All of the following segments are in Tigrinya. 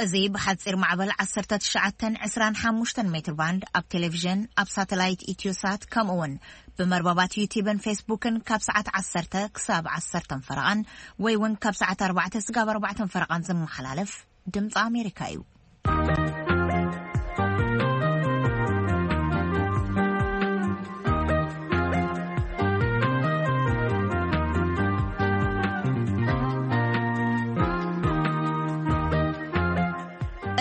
እዚ ብሓጺር ማዕበል ዓሰርተ ትሽዓተ ዕስራን ሓሙሽተን ሜትር ባንድ ኣብ ቴሌቪዥን፣ ኣብ ሳተላይት ኢትዮሳት፣ ከምኡ እውን ብመርበባት ዩቲብን ፌስቡክን ካብ ሰዓት ዓሰርተ ክሳብ ዓሰርተ ፈረቓን ወይ እውን ካብ ሰዓት ኣርባዕተ ስጋብ ኣርባዕተ ፈረቓን ዝመሓላለፍ ድምፂ ኣሜሪካ እዩ።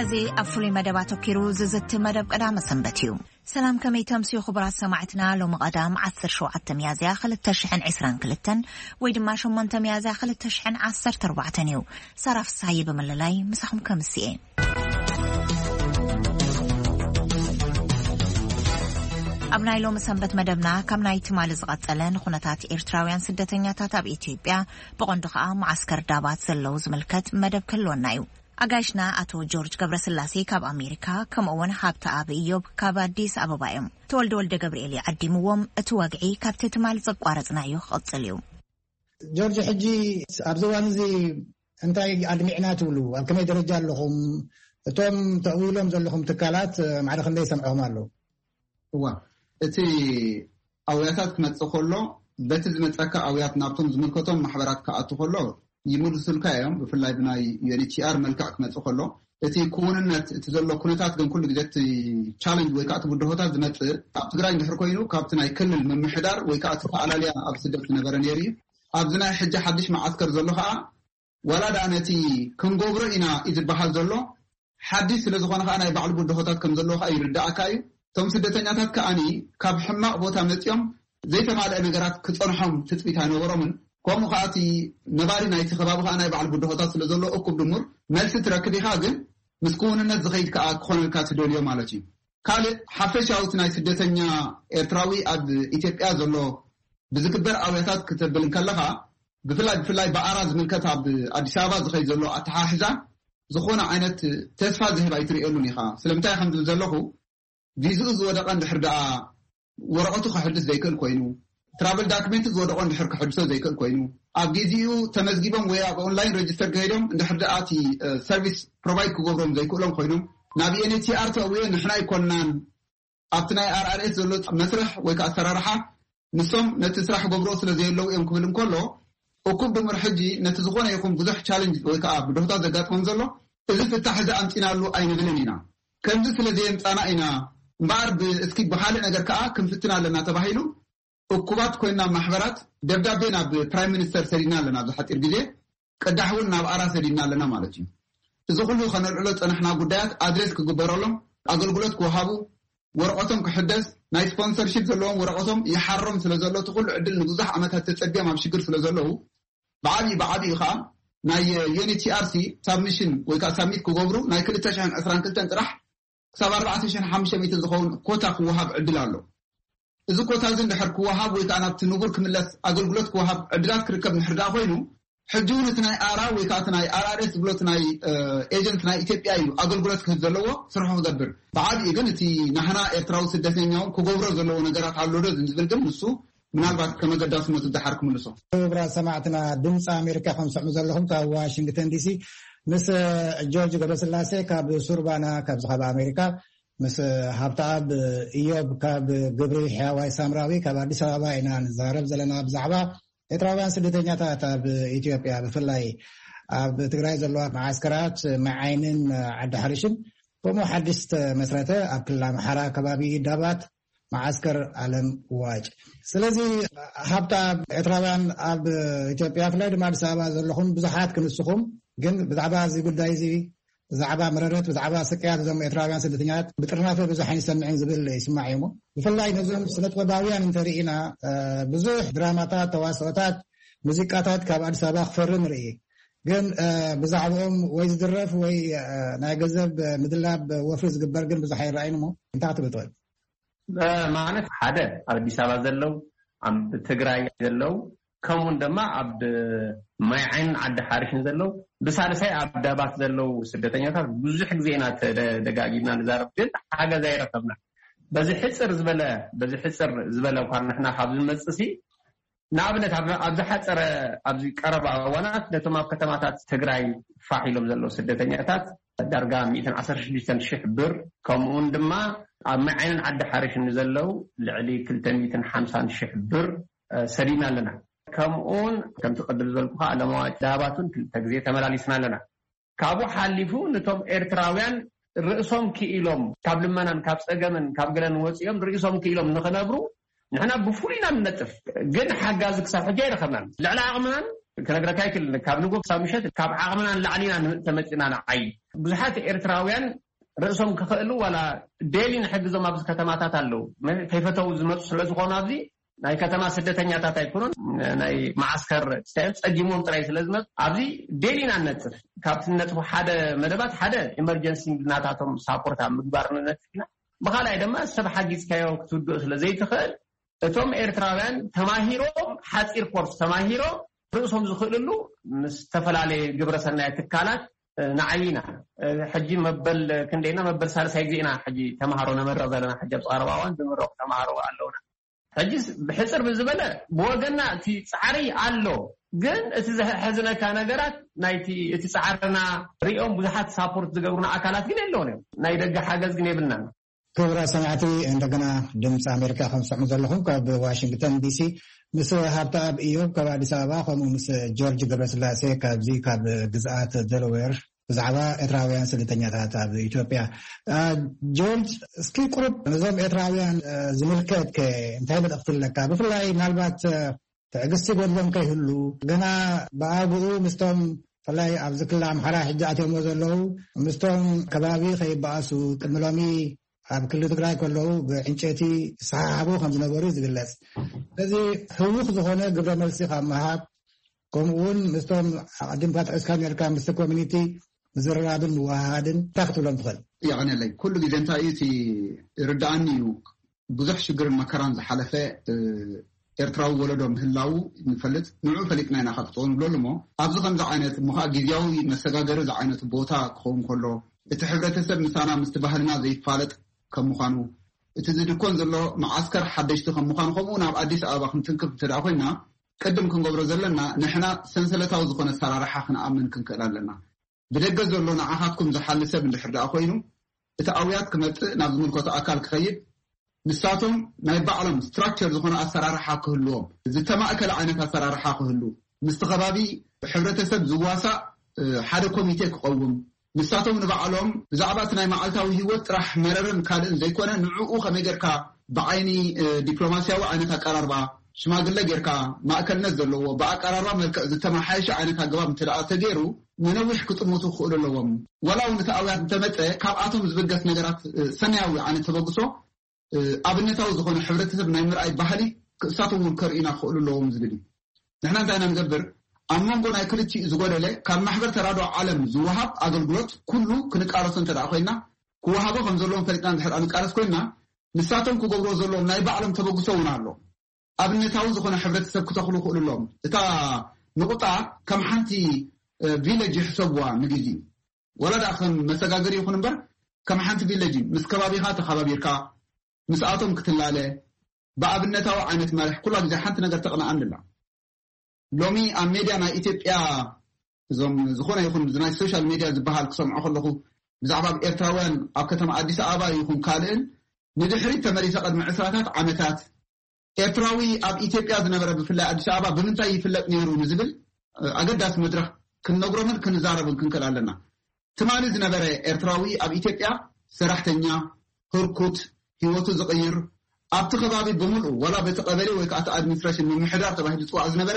እዚ ኣብ ፍሉይ መደብ ኣተኪሩ ዝዝቲ መደብ ቀዳመ ሰንበት እዩ። ሰላም፣ ከመይ ተምስዩ ክቡራት ሰማዕትና? ሎሚ ቀዳም ዓሰርተ ሸውዓተ ሚያዝያ ክልተ ሽሕን ዕስራን ክልተን ወይ ድማ ሸሞንተ ሚያዝያ ክልተ ሽሕን ዓሰርተ ኣርባዕተን እዩ። ሳራ ፍስሃየ ብምልላይ ምሳኹም ከምስየ። ኣብ ናይ ሎሚ ሰንበት መደብና፣ ካብ ናይ ትማሊ ዝቐጸለ ንኹነታት ኤርትራውያን ስደተኛታት ኣብ ኢትዮጵያ፣ ብቐንዱ ኸኣ መዓስከር ዳባት ዘለዉ ዝምልከት መደብ ክህልወና እዩ። ኣጋይሽና ኣቶ ጆርጅ ገብረስላሴ ካብ ኣሜሪካ፣ ከምኡ እውን ሃብተኣብ ኢዮብ ካብ ኣዲስ ኣበባ እዮም። ተወልደ ወልደ ገብርኤል እዩ ዓዲምዎም። እቲ ወግዒ ካብቲ ትማሊ ዘቋረጽናዮ ክቕጽል እዩ። ጆርጅ፣ ሕጂ ኣብዚ እዋን እዚ እንታይ ኣድሚዕና ትብሉ? ኣብ ከመይ ደረጃ ኣለኹም? እቶም ተእዊሎም ዘለኹም ትካላት፣ እ፣ ማዕረ ክንደይ ሰምዕኹም ኣለዉ? እዋ፣ እቲ ኣውያታት ክመጽእ ከሎ፣ በቲ ዝመጸካ ኣውያት ናብቶም ዝምልከቶም ማሕበራት ክኣቱ ከሎ ይምልሱልካ እዮም። ብፍላይ ብናይ ዩ ኤን ኤች ሲ ኣር መልክዕ ክመጽእ ከሎ፣ እቲ ክውንነት፣ እቲ ዘሎ ኩነታት ግን ኩሉ ግዜ እቲ ቻለንጅ ወይ ከዓ እቲ ብድሆታት ዝመጽእ ኣብ ትግራይ እንድሕር ኮይኑ ካብቲ ናይ ክልል ምምሕዳር ወይ ከዓ እቲ ተኣላልያ ኣብ ስደት ዝነበረ ነይሩ እዩ። ኣብዚ ናይ ሕጂ ሓድሽ መዓስከር ዘሎ ከዓ ዋላ ደኣ ነቲ ክንገብሮ ኢና እዩ ዝበሃል ዘሎ ሓድሽ ስለ ዝኾነ ከዓ ናይ ባዕሉ ብድሆታት ከም ዘለዎ ከዓ ይርዳእካ እዩ። እቶም ስደተኛታት ከዓኒ ካብ ሕማቕ ቦታ መፂኦም ዘይተማልአ ነገራት ክፀንሖም ትፅቢት ኣይነበሮምን። ከምኡ ከዓ እቲ ነባሪ ናይቲ ከባቢ ከዓ ናይ ባዕሉ ብድሆታት ስለ ዘለዎ እኩብ ድሙር መልሲ ትረክብ ኢኻ፣ ግን ምስ ክውንነት ዝኸይድ ከዓ ክኾነልካ ትደልዮ ማለት እዩ። ካልእ ሓፈሻዊ እቲ ናይ ስደተኛ ኤርትራዊ ኣብ ኢትዮጵያ ዘሎ ብዝግበር ኣውያታት ክተብል እንከለኻ፣ ብፍላይ ብፍላይ ብኣራ ዝምልከት ኣብ ኣዲስ ኣበባ ዝኸይድ ዘሎ ኣተሓሕዛ ዝኾነ ዓይነት ተስፋ ዝህብ ኣይትርእየሉን ኢኻ። ስለምንታይ ከም ዝብል ዘለኹ፣ ቪዝኡ ዝወደቐ እንድሕር ደኣ ወረቐቱ ከሕድስ ዘይክእል ኮይኑ፣ ትራቨል ዳክሜንት ዝወደቐ እንድሕር ከሕድሶ ዘይክእል ኮይኑ፣ ኣብ ጊዜኡ ተመዝጊቦም ወይ ኣብ ኦንላይን ረጅስተር ከይዶም እንድሕር ደኣ እቲ፣ እ፣ ሰርቪስ ፕሮቫይድ ክገብሮም ዘይክእሎም ኮይኖም፣ ናብ ኤን ኤች ሲ ኣር ተእውዮ ንሕና ኣይኮንናን ኣብቲ ናይ ኣር ኣር ኤስ ዘሎ መስርሕ ወይ ከዓ ኣሰራርሓ ንሶም ነቲ ስራሕ ገብሮ ስለ ዘየለዉ እዮም ክብል እንከሎ፣ እኩብ ድምር ሕጂ ነቲ ዝኾነ ይኹን ብዙሕ ቻለንጅ ወይ ከዓ ብድሆታት ዘጋጥሞም ዘሎ እዚ ፍታሕ እዚ ኣምፂናሉ ኣይንብልን ኢና። ከምዚ ስለ ዘየምፃና ኢና እምበኣር ብ-፣ እስኪ ብኻልእ ነገር ከዓ ክንፍትን ኣለና ተባሂሉ እኩባት ኮይና ማሕበራት ደብዳቤ ናብ ፕራይም ሚኒስተር ሰዲድና ኣለና። ኣብዚ ሓፂር ግዜ ቅዳሕ እውን ናብ ኣራ ሰዲድና ኣለና ማለት እዩ። እዚ ኩሉ ከነልዕሎ ዝፀናሕና ጉዳያት ኣድሬስ ክግበረሎም፣ ኣገልግሎት ክወሃቡ፣ ወረቐቶም ክሕደስ፣ ናይ ስፖንሰርሺፕ ዘለዎም ወረቐቶም ይሓሮም ስለ ዘሎ፣ እቲ ኩሉ ዕድል ንብዙሕ ዓመታት ተፀቢዮም ኣብ ሽግር ስለ ዘለዉ፣ ብዓብዩ ብዓብዩ ከዓ ናይ ዩ ኤን ኤች ሲ ኣር ሲ ሳብሚሽን ወይ ከዓ ሳብሚት ክገብሩ ናይ ክልተ ሽሕን ዕስራን ክልተን ጥራሕ ክሳብ ኣርባዕተ ሽሕን ሓሙሽተ ሚእትን ዝኸውን ኮታ ክወሃብ ዕድል ኣሎ። እዚ ኮታ እዚ እንድሕር ክወሃብ ወይ ከዓ ናብቲ ንቡር ክምለስ ኣገልግሎት ክወሃብ ዕድላት ክርከብ እንድሕር ደኣ ኮይኑ፣ ሕጂ እውን እቲ ናይ ኣራ ወይ ከዓ እቲ ናይ ኣር ኣር ኤስ ዝብሎ እቲ ናይ፣ እ፣ ኤጀንት ናይ ኢትዮጵያ እዩ ኣገልግሎት ክህብ ዘለዎ፣ ስርሑ ክገብር። ብዓብዩ ግን እቲ ናህና ኤርትራዊ ስደተኛ እውን ክገብሮ ዘለዎ ነገራት ኣሎ ዶ ዝብል ግን ንሱ ምናልባት ከም ኣገዳስነቱ ደሓር ክምልሶ። ክቡራት ሰማዕትና፣ ድምፂ ኣሜሪካ ከም ትሰምዑ ዘለኹም ካብ ዋሽንግተን ዲሲ ምስ ጆርጅ ገብረስላሴ ካብ ሱርባና ካብዚ ካብ ኣሜሪካ፣ ምስ ሃብተኣብ እዮብ ካብ ግብሪ ሕያዋይ ሳምራዊ ካብ ኣዲስ ኣበባ ኢና ንዛረብ ዘለና ብዛዕባ ኤርትራውያን ስደተኛታት ኣብ ኢትዮጵያ፣ ብፍላይ ኣብ ትግራይ ዘለዋ መዓስከራት መዓይንን ዓዲ ሓሪሽን፣ ከምኡ ሓድሽ ዝተመስረተ ኣብ ክልል ኣምሓራ ከባቢ ዳባት መዓስከር ኣለም ዋጭ። ስለዚ ሃብተኣብ፣ ኤርትራውያን ኣብ ኢትዮጵያ ብፍላይ ድማ ኣዲስ ኣበባ ዘለኹም ብዙሓት ክንስኹም፣ ግን ብዛዕባ እዚ ጉዳይ እዚ ብዛዕባ መረረት፣ ብዛዕባ ስቅያት እዞም ኤርትራውያን ስደተኛታት ብጥርናፈ ብዙሕ ኣይንሰምዕን ዝብል ይስማዕ እዩ። እሞ ብፍላይ ነዞም ስነ ጥበባውያን እንተርኢና፣ እ፣ ብዙሕ ድራማታት፣ ተዋስኦታት፣ ሙዚቃታት ካብ ኣዲስ ኣበባ ክፈሪ ንርኢ። ግን፣ እ፣ ብዛዕባኦም ወይ ዝድረፍ ወይ፣ እ፣ ናይ ገንዘብ ምድላብ ወፍሪ ዝግበር ግን ብዙሕ ኣይረኣይን። እሞ እንታይ ክትብል ትኽእል? እ፣ ማለት ሓደ ኣብ ኣዲስ ኣበባ ዘለዉ፣ ኣብ ትግራይ ዘለዉ፣ ከምኡውን ድማ ኣብ ማይ ዓይንን ዓዲ ሓሪሽን ዘለዉ፣ ብሳልሳይ ኣብ ዳባት ዘለዉ ስደተኛታት ብዙሕ ግዜ ኢና ተደ-፣ ደጋጊምና ንዛረብ፣ ግን ሓገዝ ኣይረኸብና። በዚ ሕፅር ዝበለ፣ በዚ ሕፅር ዝበለ እኳ ንሕና ካብ ዝመፅእ ሲ፣ ንኣብነት ኣብ፣ ኣብ ዝሓፀረ፣ ኣብዚ ቀረባ እዋናት ነቶም ኣብ ከተማታት ትግራይ ፋሕ ኢሎም ዘለዉ ስደተኛታት ዳርጋ ሚእትን ዓሰርተ ሽዱሽተን ሽሕ ብር፣ ከምኡውን ድማ ኣብ መዓይንን ዓዲ ሓርሽ ንዘለዉ ልዕሊ ክልተ ሚእትን ሓምሳን ሽሕ ብር ሰዲድና ኣለና። ከምኡውን ከምቲ ቅድም ዝበልኩኻ ለዋጭ ዳባቱን ክልተ ግዜ ተመላሊስና ኣለና። ካብኡ ሓሊፉ ነቶም ኤርትራውያን ርእሶም ክኢሎም ካብ ልመናን ካብ ጸገምን ካብ ገለን ወጺኦም ርእሶም ክኢሎም ንኽነብሩ ንሕና ብፍሉይ ኢና ንነጥፍ። ግን ሓጋዚ ክሳብ ሕጂ ኣይረኸብናን። ልዕሊ ዓቕምናን ክነግረካ ኣይክልን። ካብ ንጎ ክሳብ ምሸት ካብ ዓቕምናን ላዕሊና ተመጺና ንዓይ። ብዙሓት ኤርትራውያን ርእሶም ክኽእሉ ዋላ ዴሊ ንሕግዞም ኣብዚ ከተማታት ኣለዉ። ከይፈተው ዝመፁ ስለዝኾኑ ኣብዚ ናይ ከተማ ስደተኛታት ኣይኮኑን፣ ናይ መዓስከር ስታዮም ጸጊሞም ጥራይ ስለዝመፁ ኣብዚ ዴሊ ኢና ንነጥፍ። ካብቲ ንነጥፎ ሓደ መደባት ሓደ ኢመርጀንሲ ናታቶም ሳፖርት ኣብ ምግባር ንነጥፍ ኢና። ብኻልኣይ ድማ ሰብ ሓጊዝካዮ ክትውድኦ ስለ ዘይትኽእል እቶም ኤርትራውያን ተማሂሮም ሓፂር ኮርስ ተማሂሮም ርእሶም ዝኽእልሉ ምስ ዝተፈላለየ ግብረሰናይ ትካላት ንዓይና ሕጂ መበል ክንደይና መበል ሳልሳይ ግዜና ሕጂ ተማሃሮ ነመረቕ ዘለና። ሕጂ ኣብ ቀረባ እዋን ዝምረቑ ተማሃሮ ኣለውና። ሕጂ ብሕፅር ብዝበለ ብወገና እቲ ፃዕሪ ኣሎ፣ ግን እቲ ዘሕዝነካ ነገራት ናይቲ እቲ ፃዕርና ሪኦም ብዙሓት ሳፖርት ዝገብሩና ኣካላት ግን የለውን እዮም። ናይ ደገ ሓገዝ ግን የብልናን። ክቡራት ሰማዕቲ፣ እንደገና ድምፂ ኣሜሪካ ከም ትሰምዑ ዘለኹም ካብ ዋሽንግተን ዲሲ ምስ ሃብተኣብ ኢዮብ ካብ ኣዲስ ኣበባ፣ ከምኡ ምስ ጆርጅ ገብረስላሴ ካብዚ ካብ ግዝኣት ደለዌር ብዛዕባ ኤርትራውያን ስደተኛታት ኣብ ኢትዮጵያ። ጆርጅ፣ እስኪ ቁሩብ ነዞም ኤርትራውያን ዝምልከት ከ እንታይ መልእኽቲ ኣለካ? ብፍላይ ምናልባት ትዕግስቲ ጎድሎም ከይህሉ፣ ገና ብኣግኡ ምስቶም ብፍላይ ኣብዚ ክልል ኣምሓራ ሕጂ ኣትዮሞ ዘለዉ ምስቶም ከባቢ ከይበኣሱ ቅድሚ ሎሚ ኣብ ክልል ትግራይ ከለዉ ብዕንጨይቲ ይሰሓሓቡ ከም ዝነበሩ እዩ ዝግለጽ። ስለዚ ህውኽ ዝኾነ ግብረ መልሲ ካብ ምሃብ፣ ከምኡ እውን ምስቶም ኣቐዲምካ ጥዕስካ ነርካ ምስቲ ኮሚኒቲ ምዝርራብን ምወሃሃድን እንታይ ክትብሎም ትኽእል? የቐንየለይ። ኩሉ ግዜ እንታይ እዩ እቲ ርድኣኒ እዩ፣ ብዙሕ ሽግርን መከራን ዝሓለፈ ኤርትራዊ ወለዶ ምህላዉ ንፈልጥ። ንዑ ፈሊጥና ኢና ካብ ጸው ንብለሉ እሞ ኣብዚ ከምዚ ዓይነት እሞ ከዓ ግዜያዊ መሰጋገሪ ዝዓይነቱ ቦታ ክኸውን ከሎ፣ እቲ ሕብረተሰብ ምሳና ምስቲ ባህልና ዘይፋለጥ ከም ምዃኑ፣ እቲ ዝድኮን ዘሎ መዓስከር ሓደሽቲ ከም ምዃኑ፣ ከምኡ ናብ ኣዲስ ኣበባ ክንትንክፍ እንተ ደኣ ኮይና ቅድም ክንገብሮ ዘለና ንሕና ሰንሰለታዊ ዝኾነ ኣሰራርሓ ክንኣምን ክንክእል ኣለና። ብደገ ዘሎ ንዓኻትኩም ዝሓሊ ሰብ እንድሕር ደኣ ኮይኑ እቲ ኣውያት ክመጽእ ናብ ዝምልከቶ ኣካል ክኸይድ ንሳቶም ናይ ባዕሎም ስትራክቸር ዝኾነ ኣሰራርሓ ክህልዎም፣ ዝተማእከለ ዓይነት ኣሰራርሓ ክህሉ፣ ምስቲ ከባቢ ሕብረተሰብ ዝዋሳእ ሓደ ኮሚቴ ክቐውም፣ ንሳቶም ንባዕሎም ብዛዕባ እቲ ናይ መዓልታዊ ህይወት ጥራሕ መረርን ካልእን ዘይኮነ ንዕኡ ከመይ ጌርካ ብዓይኒ ዲፕሎማስያዊ ዓይነት ኣቀራርባ ሽማግለ ጌርካ ማእከልነት ዘለዎ ብኣቀራርባ መልክዕ ዝተመሓየሸ ዓይነት ኣገባብ እንተ ደኣ ተገይሩ ንነዊሕ ክጥምቱ ክኽእሉ ኣለዎም። ዋላ እውን እቲ ኣውያት እንተመፀ ካብኣቶም ዝብገስ ነገራት ሰናያዊ ዓይነት ተበግሶ ኣብነታዊ ዝኾነ ሕብረተሰብ ናይ ምርኣይ ባህሊ ክእሳቶም እውን ከርእዩና ክኽእሉ ኣለዎም ዝብል እዩ። ንሕና እንታይ ኢና ንገብር? ኣብ መንጎ ናይ ክልቲኡ ዝጎደለ ካብ ማሕበር ተራድኦ ዓለም ዝወሃብ ኣገልግሎት ኩሉ ክንቃለሶ እንተ ደኣ ኮይና ክወሃቦ ከም ዘለዎም ፈሊጥና እንድሕር ንቃለስ ኮይና ንሳቶም ክገብርዎ ዘለዎም ናይ ባዕሎም ተበግሶ እውን ኣሎ። ኣብነታዊ ዝኾነ ሕብረተሰብ ክተኽሉ ክኽእሉ ኣለዎም። እታ ንቑጣ ከም ሓንቲ ቪለጅ ይሕሰብዋ ንግዜኡ። ወላ ደኣ ከም መሰጋገሪ ይኹን እምበር ከም ሓንቲ ቪለጅ ምስ ከባቢኻ ተኸባቢርካ ምስኣቶም ክትላለ ብኣብነታዊ ዓይነት መርሕ ኩላ ግዜ ሓንቲ ነገር ተቕንኣኒ ኣላ። ሎሚ ኣብ ሜድያ ናይ ኢትዮጵያ እዞም ዝኾነ ይኹን ናይ ሶሻል ሜድያ ዝበሃል ክሰምዖ ከለኹ ብዛዕባ ኣብ ኤርትራውያን ኣብ ከተማ ኣዲስ ኣበባ ይኹን ካልእን ንድሕሪት ተመሊሰ ቅድሚ ዕስራታት ዓመታት ኤርትራዊ ኣብ ኢትዮጵያ ዝነበረ ብፍላይ ኣዲስ ኣበባ ብምንታይ ይፍለጥ ነይሩ ንዝብል ኣገዳሲ መድረኽ ክንነግሮምን ክንዛረብን ክንክእል ኣለና። ትማሊ ዝነበረ ኤርትራዊ ኣብ ኢትዮጵያ ሰራሕተኛ፣ ህርኩት፣ ህይወቱ ዝቕይር ኣብቲ ከባቢ ብምልኡ ዋላ በቲ ቀበሌ ወይ ከዓ እቲ ኣድሚኒስትሬሽን ምምሕዳር ተባሂሉ ዝፅዋዕ ዝነበረ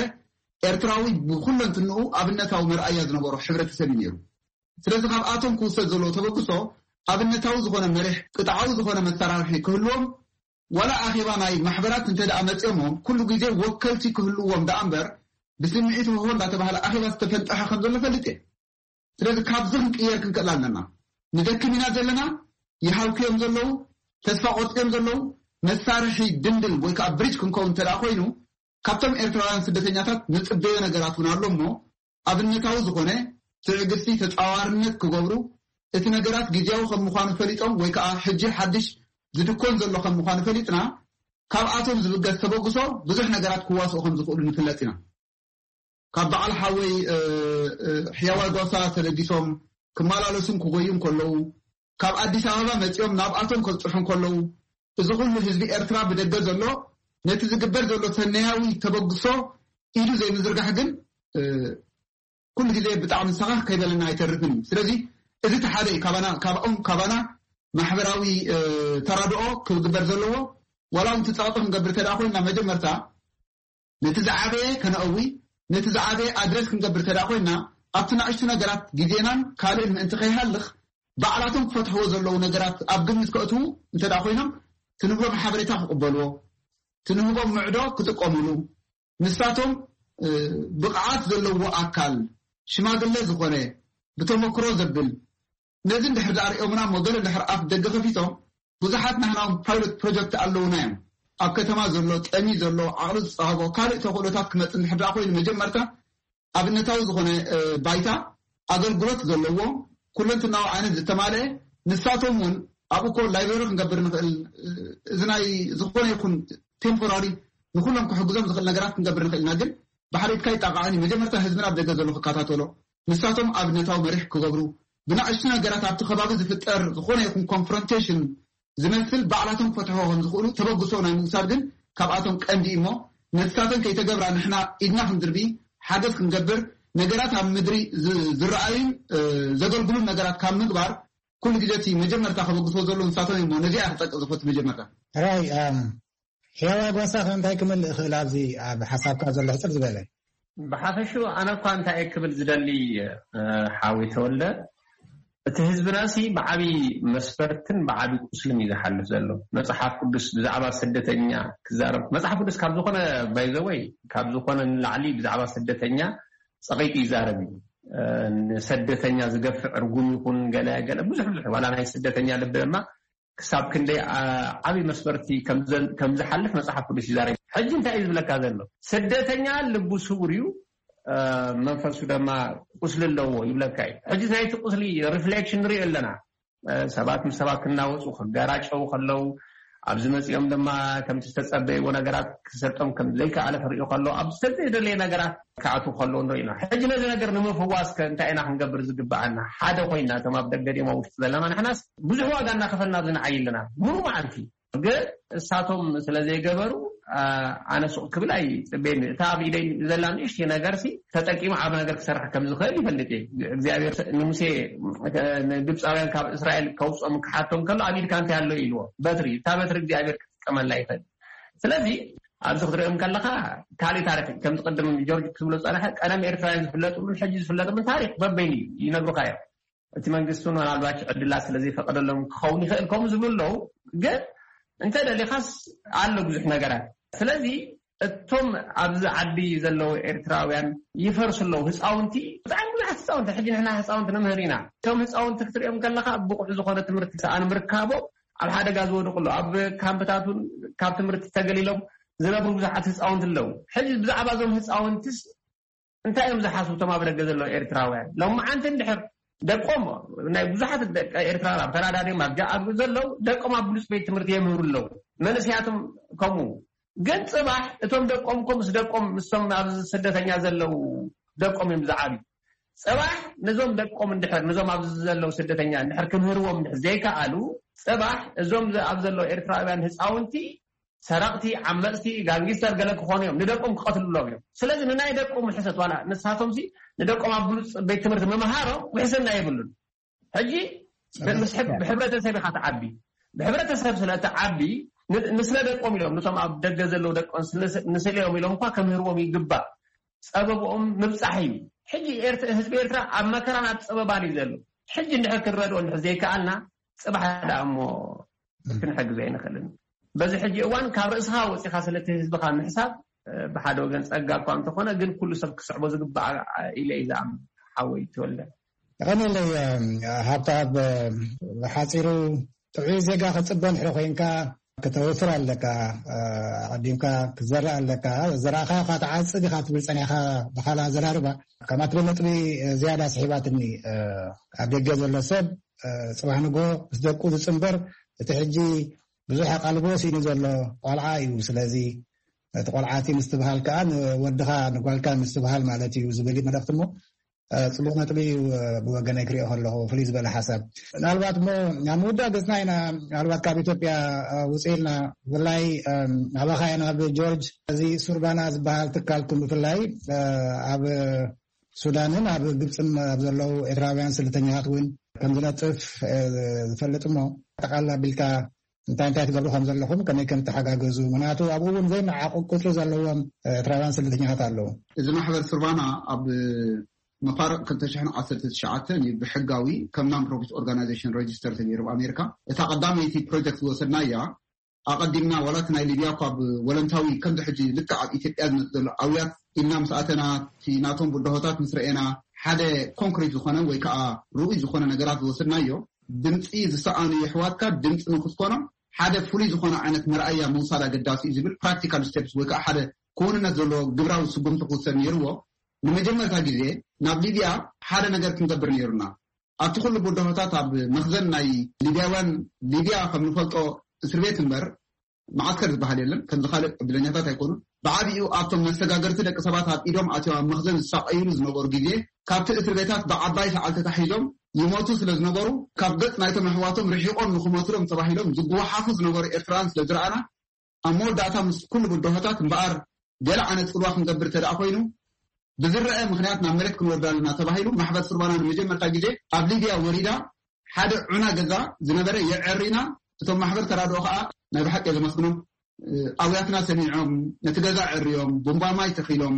ኤርትራዊ ብኩለንትንኡ ኣብነታዊ መርኣያ ዝነበሮ ሕብረተሰብ እዩ ነይሩ። ስለዚ ካብኣቶም ክውሰድ ዘለዎ ተበግሶ ኣብነታዊ ዝኾነ መሪሕ ቅጥዓዊ ዝኾነ መሰራርሒ ክህልዎም ዋላ ኣኼባ ናይ ማሕበራት እንተ ደኣ መፅኦሞ ኩሉ ግዜ ወከልቲ ክህልዎም ደኣ እምበር ብስምዒት ሆሆ እንዳተባሃለ ኣኼባ ዝተፈንጠሐ ከም ዘሎ ፈልጥ እየ። ስለዚ ካብዚ ክንቅየር ክንክእል ኣለና። ንደክም ኢና ዘለና፣ ይሃልኩ እዮም ዘለዉ፣ ተስፋ ቆርፂ እዮም ዘለዉ። መሳርሒ ድንድል ወይ ከዓ ብሪጅ ክንከውን እንተ ደኣ ኮይኑ ካብቶም ኤርትራውያን ስደተኛታት ንፅበዮ ነገራት እውን ኣሎ እሞ ኣብነታዊ ዝኾነ ትዕግስቲ ተፃዋርነት ክገብሩ እቲ ነገራት ግዜያዊ ከም ምዃኑ ፈሊጦም ወይ ከዓ ሕጂ ሓድሽ ዝድኮን ዘሎ ከም ምዃኑ ፈሊጥና ካብኣቶም ዝብገስ ተበግሶ ብዙሕ ነገራት ክዋስኡ ከም ዝኽእሉ ንፍለጥ ኢና። ካብ በዓል ሓወይ ሕያዋይ ጓሳ ተበጊሶም ክመላለሱን ክጎዩን ከለዉ፣ ካብ ኣዲስ ኣበባ መጺኦም ናብኣቶም ከብጽሑ ከለዉ፣ እዚ ኩሉ ህዝቢ ኤርትራ ብደገ ዘሎ ነቲ ዝግበር ዘሎ ሰናያዊ ተበግሶ ኢዱ ዘይምዝርጋሕ ግን ኩሉ ግዜ ብጣዕሚ ሰኻኽ ከይበለና ኣይተርፍን እዩ። ስለዚ እዚ እቲ ሓደ እዩ። ካባና ካብኦም ካባና ማሕበራዊ ተራድኦ ክግበር ዘለዎ። ዋላ እውን እቲ ጸቕጢ ክንገብር እንተ ደኣ ኮይና መጀመርታ ነቲ ዝዓበየ ከነእዊ፣ ነቲ ዝዓበየ ኣድረስ ክንገብር እንተ ደኣ ኮይና ኣብቲ ንኣሽቱ ነገራት ግዜናን ካልእን ምእንቲ ከይሃልኽ ባዕላቶም ክፈትሕዎ ዘለዉ ነገራት ኣብ ግምት ከእትዉ እንተ ደኣ ኮይኖም ትንህቦም ሓበሬታ ክቕበልዎ፣ ትንህቦም ምዕዶ ክጥቀምሉ፣ ንሳቶም ብቕዓት ዘለዎ ኣካል ሽማግለ ዝኾነ ብተመክሮ ዘብል ነዚ እንድሕር ደኣ ሪኦምና እሞ ገለ እንድሕር ኣፍ ደገ ከፊቶም ብዙሓት ናህና ውን ፓይሎት ፕሮጀክት ኣለውና እዮም። ኣብ ከተማ ዘሎ ጠሚ ዘሎ ዓቕሊ ዝፀሃቦ ካልእ ተኽእሎታት ክመፅእ እንድሕር ደኣ ኮይኑ መጀመርታ ኣብነታዊ ዝኾነ ባይታ ኣገልግሎት ዘለዎ ኩለንትናዊ ዓይነት ዝተማልአ ንሳቶም እውን ኣብኡ ኮ ላይብረሪ ክንገብር ንኽእል እዚ ናይ ዝኾነ ይኹን ቴምፖራሪ ንኩሎም ክሕግዞም ዝኽእል ነገራት ክንገብር ንኽእል ኢና። ግን ብሓደ ኢድካ ይጣቃዓን እዩ። መጀመርታ ህዝብና ኣብ ደገ ዘሎ ክከታተሎ ንሳቶም ኣብነታዊ መሪሕ ክገብሩ ብናእሽቱ ነገራት ኣብቲ ከባቢ ዝፍጠር ዝኾነ ይኹን ኮንፍሮንቴሽን ዝመስል ባዕላቶም ክፈትሕዎ ከም ዝኽእሉ ተበግሶ ናይ ምውሳድ ግን ካብኣቶም ቀንዲ እዩ እሞ ነትሳተን ከይተገብራ ንሕና ኢድና ክንድርቢ ሓገዝ ክንገብር ነገራት ኣብ ምድሪ ዝረኣዩን ዘገልግሉን ነገራት ካብ ምግባር ኩሉ ግዜ እቲ መጀመርታ ከበግስዎ ዘሎ ንሳቶም እሞ ነዚኣ ክጠቅቕ ዝፈቱ መጀመርታ ራይ ሕያዋይ ጓሳ ከ እንታይ ክምልእ ይኽእል ኣብዚ ኣብ ሓሳብካ ዘሎ ሕፅር ዝበለ ብሓፈሹ ኣነ እኳ እንታይ እየ ክብል ዝደሊ ሓወይ ተወልደ እቲ ህዝብና ሲ ብዓብዪ መስፈርትን ብዓብዪ ቁስልን እዩ ዝሓልፍ ዘሎ። መፅሓፍ ቅዱስ ብዛዕባ ስደተኛ ክዛረብ መፅሓፍ ቅዱስ ካብ ዝኾነ ባይዘወይ ካብ ዝኾነ ንላዕሊ ብዛዕባ ስደተኛ ፀቒጡ ይዛረብ እዩ። ንሰደተኛ ዝገፍዕ እርጉም ይኹን ገለ ገለ ብዙሕ ብዙሕ ዋላ ናይ ስደተኛ ልቢ ድማ ክሳብ ክንደይ ዓብዪ መስፈርቲ ከም ዝሓልፍ መፅሓፍ ቅዱስ ይዛረብ። ሕጂ እንታይ እዩ ዝብለካ ዘሎ? ስደተኛ ልቡ ስውር እዩ፣ መንፈሱ ድማ ቁስሊ ኣለዎ ይብለካ እዩ። ሕጂ ናይቲ ቁስሊ ሪፍሌክሽን ንሪኦ ኣለና። ሰባት ምስ ሰባት ክናወፁ ክገራጨው ከለው ኣብዚ መፂኦም ድማ ከምቲ ዝተፀበይዎ ነገራት ክሰጦም ከም ዘይከኣለ ክርእዩ ከለው ኣብ ዝተዘይደለየ ነገራት ክኣትዉ ከለው ንርኢ ኢና። ሕጂ ነዚ ነገር ንምፍዋስ ከ እንታይ ኢና ክንገብር ዝግበኣና? ሓደ ኮይና እቶም ኣብ ደገ ድዮም ኣብ ውሽጢ ዘለና ንሕናስ ብዙሕ ዋጋ እናኸፈልና ኣብዚ ንዓይ ኣለና። ሙሉ መዓልቲ ግን እሳቶም ስለ ዘይገበሩ ኣነ ሱቕ ክብል ኣይፅበየኒ። እታ ኣብ ኢደይ ዘላ ንእሽተይ ነገር ሲ ተጠቂሙ ዓብ ነገር ክሰርሕ ከም ዝኽእል ይፈልጥ እየ። እግዚኣብሔር ንሙሴ ንግብፃውያን ካብ እስራኤል ከውፅኦም ክሓቶም ከሎ ኣብ ኢድካ እንታይ ኣሎ ኢልዎ? በትሪ። እታ በትሪ እግዚኣብሔር ክጥቀመላ ይኽእል። ስለዚ ኣብዚ ክትሪኦም ከለኻ ካልእ ታሪክ እዩ። ከምዚ ቅድም ጆርጅ ክብሎ ዝፀንሐ ቀደም ኤርትራውያን ዝፍለጥሉን ሕጂ ዝፍለጥሉን ታሪክ በበይኑ እዩ ይነግሩኻ እዮም። እቲ መንግስቲ እውን ምናልባች ዕድላት ስለ ዘይፈቀደሎም ክኸውን ይኽእል ከምኡ ዝብሉ ኣለዉ። ግን እንተ ደሊኻስ ኣሎ ብዙሕ ነገራት። ስለዚ እቶም ኣብዚ ዓዲ ዘለዉ ኤርትራውያን ይፈርሱ ኣለዉ። ህፃውንቲ ብጣዕሚ ብዙሓት ህፃውንቲ ሕጂ ንሕና ህፃውንቲ ንምህር ኢና። እቶም ህፃውንቲ ክትሪኦም ከለኻ ብቑዕ ዝኾነ ትምህርቲ ሰኣን ምርካቦም ኣብ ሓደጋ ዝወድቁ ኣለዉ። ኣብ ካምፕታት እውን ካብ ትምህርቲ ተገሊሎም ዝነብሩ ብዙሓት ህፃውንቲ ኣለዉ። ሕጂ ብዛዕባ እዞም ህፃውንትስ እንታይ እዮም ዝሓስቡ እቶም ኣብ ደገ ዘለዉ ኤርትራውያን? ሎማዓንቲ እንድሕር ደቆም ናይ ብዙሓት ደቂ ኤርትራውያን ኣብ ካናዳ ድዮም ኣብ ጃኣብ ዘለዉ ደቆም ኣብ ብሉፅ ቤት ትምህርቲ የምህሩ ኣለዉ። መንእሰያቶም ከምኡ ግን ፅባሕ እቶም ደቆም ኮ ምስ ደቆም ምስቶም ኣብዚ ስደተኛ ዘለዉ ደቆም እዮም ዝዓብዩ። ፅባሕ ነዞም ደቆም እንድሕር ነዞም ኣብዚ ዘለዉ ስደተኛ እንድሕር ክምህርዎም እንድሕር ዘይከኣሉ ፅባሕ እዞም ኣብ ዘለዉ ኤርትራውያን ህፃውንቲ ሰረቕቲ፣ ዓመፅቲ፣ ጋንጊስተር ገለ ክኾኑ እዮም። ንደቆም ክቐትልሎም እዮም። ስለዚ ንናይ ደቆም ውሕሰት ዋላ ንሳቶም ሲ ንደቆም ኣብ ብሉፅ ቤት ትምህርቲ ምምሃሮም ውሕስና የብሉን። ሕጂ ብሕብረተሰብ ኢኻ ትዓቢ። ብሕብረተሰብ ስለ ትዓቢ ንስለ ደቆም ኢሎም ነቶም ኣብ ደገ ዘለዉ ደቆም ንስለዮም ኢሎም እኳ ከምህርዎም ይግባእ። ፀበብኦም ምብፃሕ እዩ። ሕጂ ህዝቢ ኤርትራ ኣብ መከራን ኣብ ፀበባን እዩ ዘሎ። ሕጂ እንድሕር ክንረድኦ እንድሕር ዘይከኣልና ፅባሕ ደኣ እሞ ክንሕግዞ ኣይንኽእልን። በዚ ሕጂ እዋን ካብ ርእስኻ ወፂኻ ስለቲ ህዝብኻ ምሕሳብ ብሓደ ወገን ፀጋ እኳ እንተኾነ ግን ኩሉ ሰብ ክስዕቦ ዝግባእ ኢለ እዩ ዝኣምን። ሓወይ ተወልደ የቐነለይ። ሃብተኣብ ብሓፂሩ ጥዑይ ዜጋ ክፅበ እንድሕር ኮይንካ ክተውፍር ኣለካ። ኣቐዲምካ ክትዘርእ ኣለካ። ዘራእኻዮ ካብ ትዓፅድ ኢኻ ትብል ፀኒሕካ ብካልእ ኣዘራርባ። ከምኣ ትብል ነጥቢ ዝያዳ ስሒባትኒ። ኣብ ደገ ዘሎ ሰብ ፅባሕ ንግሆ ምስ ደቁ ዝፅንበር እቲ ሕጂ ብዙሕ ኣቓልቦ ስኢኑ ዘሎ ቆልዓ እዩ። ስለዚ እቲ ቆልዓቲ ምስትብሃል ከዓ ንወድኻ ንጓልካ ምስትብሃል ማለት እዩ ዝብል እዩ መልእኽቲ እሞ ጽቡቕ ነጥቢ እዩ። ብወገነይ ክሪኦ ከለኹ ፍልይ ዝበለ ሓሳብ። ምናልባት እሞ ናብ ምውዳእ ገጽና ኢና። ምናልባት ካብ ኢትዮጵያ ውፅእ ኢልና፣ ብፍላይ ኣባኻ ኢና ናብ ጆርጅ፣ እዚ ሱርባና ዝበሃል ትካልኩም ብፍላይ ኣብ ሱዳንን ኣብ ግብፅን ኣብ ዘለዉ ኤርትራውያን ስደተኛታት እውን ከም ዝነጥፍ ዝፈልጥ እሞ፣ ጠቃላ ቢልካ እንታይ እንታይ ትገብሩ ከም ዘለኹም፣ ከመይ ከም ትሓጋገዙ፣ ምክንያቱ ኣብኡ እውን ዘይመዓቕ ቁፅሪ ዘለዎም ኤርትራውያን ስደተኛታት ኣለዉ። እዚ ማሕበር ሱርባና ኣብ መፋርቕ ክልተ ሽሕን ዓሰርተ ትሽዓተን እዩ ብሕጋዊ ከም non profit organization register ተገይሩ ኣብ ኣሜሪካ። እታ ቀዳመይቲ ፕሮጀክት ዝወሰድናያ፣ ኣቐዲምና ዋላ እቲ ናይ ሊብያ እኳ ብወለንታዊ ከምዚ ሕጂ ልክዕ ኣብ ኢትዮጵያ ዝመጽእ ዘሎ ኣውያት ኢልና ምስ ኣተና፣ እቲ ናቶም ብድሆታት ምስ ረኤና፣ ሓደ ኮንክሪት ዝኾነ ወይ ከዓ ርኡይ ዝኾነ ነገራት ዝወሰድናዮ፣ ድምፂ ዝሰኣኑ የሕዋትካ ድምፂ ንክትኮኖ ሓደ ፍሉይ ዝኾነ ዓይነት መርኣያ ምውሳድ ኣገዳሲ እዩ ዝብል ፕራክቲካል ስቴፕስ ወይ ከዓ ሓደ ክውንነት ዘለዎ ግብራዊ ስጉምቲ ክውሰድ ነይርዎ። ንመጀመርታ ግዜ ናብ ሊብያ ሓደ ነገር ክንገብር ነይሩና። ኣብቲ ኩሉ ብድሆታት ኣብ መኽዘን ናይ ሊብያውያን፣ ሊብያ ከም ንፈልጦ እስር ቤት እምበር መዓስከር ዝበሃል የለን፣ ከምዚ ካልእ ዕድለኛታት ኣይኮኑን። ብዓቢኡ ኣብቶም መሰጋገርቲ ደቂ ሰባት ኣብ ኢዶም ኣትዮም ኣብ መኽዘን ዝሳቐዩሉ ዝነበሩ ግዜ፣ ካብቲ እስር ቤታት ብዓባይ ሰዓል ተታሒዞም ይሞቱ ስለ ዝነበሩ፣ ካብ ገጽ ናይቶም ኣሕዋቶም ርሒቖም ንኽሞትሎም ተባሂሎም ዝጉዋሓፉ ዝነበሩ ኤርትራውያን ስለ ዝረኣና፣ ኣብ መወዳእታ ምስ ኩሉ ብድሆታት እምበኣር ገለ ዓይነት ጽልዋ ክንገብር እንተ ደኣ ኮይኑ፣ ብዝረአ ምኽንያት ናብ መሬት ክንወርድ ኣለና ተባሂሉ፣ ማሕበር ሱርባና ንመጀመርታ ግዜ ኣብ ሊብያ ወሪዳ፣ ሓደ ዑና ገዛ ዝነበረ የዐሪና። እቶም ማሕበር ተራድኦ ከኣ ናይ ብሓቂ እየ ዘመስግኖም። ኣውያትና ሰሚዖም፣ ነቲ ገዛ ዕርዮም፣ ቡምባ ማይ ተኺሎም፣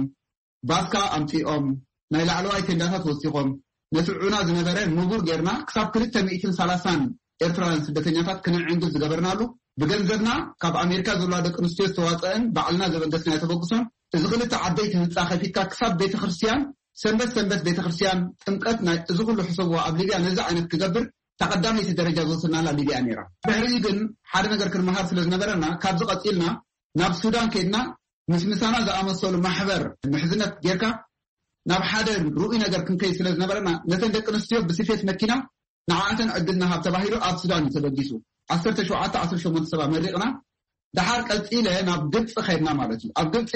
ባስካ ኣምጺኦም፣ ናይ ላዕለዋይ ቴንዳታት ወሲኾም፣ ነቲ ዑና ዝነበረ ንቡር ጌርና ክሳብ ክልተ ሚእትን ሰላሳን ኤርትራውያን ስደተኛታት ክነዕንግል ዝገበርናሉ፣ ብገንዘብና ካብ ኣሜሪካ ዘለዋ ደቂ ኣንስትዮ ዝተዋጸአን ባዕልና ዘበገስናዮ ተበግሶን፣ እዚ ክልተ ዓበይቲ ህንጻ ከፊትካ ክሳብ ቤተ ክርስቲያን፣ ሰንበት ሰንበት ቤተ ክርስቲያን፣ ጥምቀት፣ ናይ እዚ ኩሉ ሕሰብዎ። ኣብ ሊብያ ነዚ ዓይነት ክገብር እታ ቀዳመይቲ ደረጃ ዝወሰድናላ ሊብያ ነይራ። ድሕሪኡ ግን ሓደ ነገር ክንመሃር ስለ ዝነበረና፣ ካብዚ ቀጺልና ናብ ሱዳን ከይድና ምስ ምሳና ዝኣመሰሉ ማሕበር ምሕዝነት ጌርካ ናብ ሓደ ርኡይ ነገር ክንከይድ ስለ ዝነበረና፣ ነተን ደቂ ኣንስትዮ ብስፌት መኪና ንዓኣተን ዕድል ንሃብ ተባሂሉ ኣብ ሱዳን እዩ ተበጊሱ። ዓሰርተ ሸውዓተ ዓሰርተ ሸሞንተ ሰብ ኣመሪቕና፣ ደሓር ቀጺለ ናብ ግብጺ ከይድና ማለት እዩ። ኣብ ግብጺ